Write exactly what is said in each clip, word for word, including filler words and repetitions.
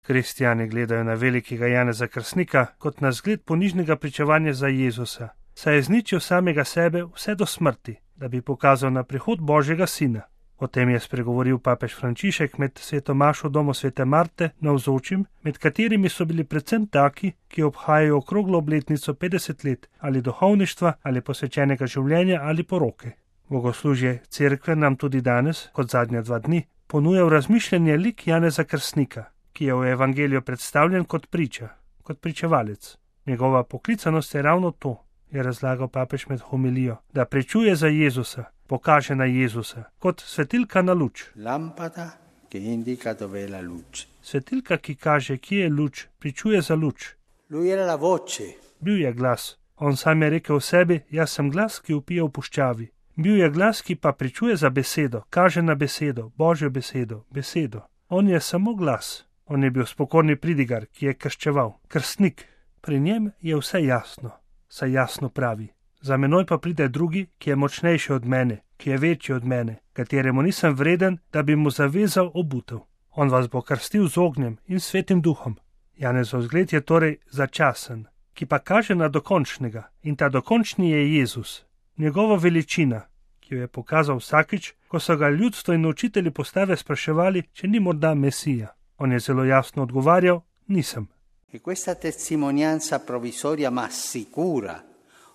Kristjani gledajo na velikega Janeza Krstnika kot na zgled ponižnega pričevanja za Jezusa, saj je izničil samega sebe vse do smrti, da bi pokazal na prihod Božjega sina. O tem je spregovoril papež Frančišek med sveto mašo v domu svete Marte navzočim, med katerimi so bili predvsem taki, ki obhajajo okroglo obletnico petdeset let ali duhovništva ali posvečenega življenja ali poroke. Bogoslužje cerkve nam tudi danes, kot zadnja dva dni, ponuja v razmišljanje lik Janeza Krstnika, ki je v evangeliju predstavljen kot priča, kot pričevalec. Njegova poklicanost je ravno to, je razlagal papež med homilijo, da pričuje za Jezusa, pokaže na Jezusa, kot svetilka na luč. Lampada, ki indika dove je la luce. Svetilka, ki kaže, kje je luč, pričuje za luč. Lui era la voce. Bil je glas. On sam je rekel v sebi, jaz sem glas, ki vpije v puščavi. Bil je glas, ki pa pričuje za besedo, kaže na besedo, Božjo besedo, besedo. On je samo glas. On je bil spokorni pridigar, ki je krščeval, krstnik. Pri njem je vse jasno, saj jasno pravi. Za menoj pa pride drugi, ki je močnejši od mene, ki je večji od mene, kateremu nisem vreden, da bi mu zavezal obutev. On vas bo krstil z ognjem in svetim duhom. Janezov zgled je torej začasen, ki pa kaže na dokončnega, in ta dokončni je Jezus. Njegova veličina, ki jo je pokazal vsakič, ko so ga ljudstvo in učitelji postave spraševali, če ni morda Mesija. On je zelo jasno odgovarjal, nisem. E questa testimonianza provvisoria ma sicura,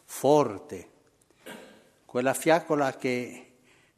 forte, quella fiaccola che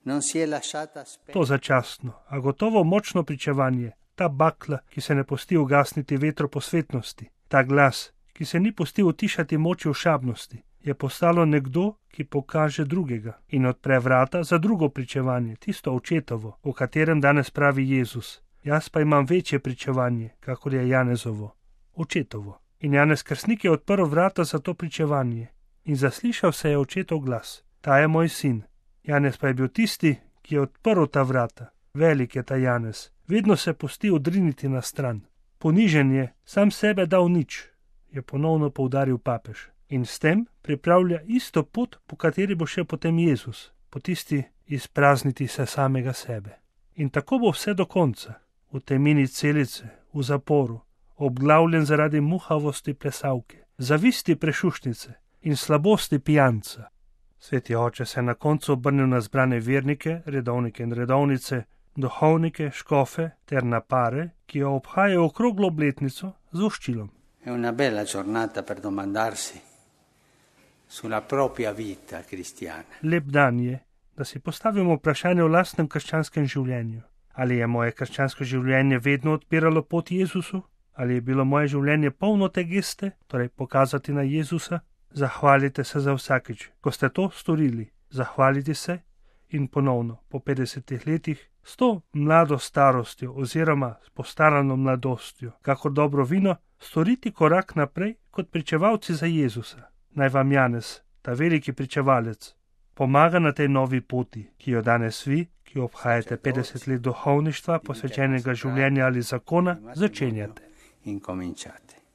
non si è lasciata spegnere. To začasno, a gotovo močno pričevanje, ta bakla, ki se ne pusti ugasniti vetro posvetnosti, ta glas, ki se ni pustil utišati moči ošabnosti, je postalo nekdo, ki pokaže drugega in odpre vrata za drugo pričevanje, tisto očetovo, o katerem danes pravi Jezus. Jaz pa imam večje pričevanje, kakor je Janezovo, očetovo. In Janez Krstnik je odprl vrata za to pričevanje in zaslišal se je očetov glas. Ta je moj sin. Janez pa je bil tisti, ki je odprl ta vrata. Velik je ta Janez. Vedno se pusti odriniti na stran. Ponižen je, sam sebe dal nič, je ponovno poudaril papež. In s tem pripravlja isto pot, po kateri bo šel potem Jezus, po tisti izprazniti se samega sebe. In tako bo vse do konca. V temini celice, v zaporu, obglavljen zaradi muhavosti plesavke, zavisti prešušnice in slabosti pijanca. Sveti oče se je na koncu obrnil na zbrane vernike, redovnike in redovnice, duhovnike, škofe ter na pare, ki jo obhajajo okroglo obletnico z voščilom. È una bella giornata per domandarsi sulla propria vita cristiana. Lep dan je, da si postavimo vprašanje o lastnem krščanskem življenju. Ali je moje krščansko življenje vedno odpiralo pot Jezusu? Ali je bilo moje življenje polno te geste, torej pokazati na Jezusa? Zahvalite se za vsakič, ko ste to storili. Zahvaliti se in ponovno, po petdesetih letih, s to mlado starostjo oziroma s postarano mladostjo, kakor dobro vino, storiti korak naprej kot pričevalci za Jezusa. Naj vam Janez, ta veliki pričevalec, pomaga na tej novi poti, ki jo danes vi, ki obhajate petdeset let duhovništva, posvečenega življenja ali zakona, začenjate.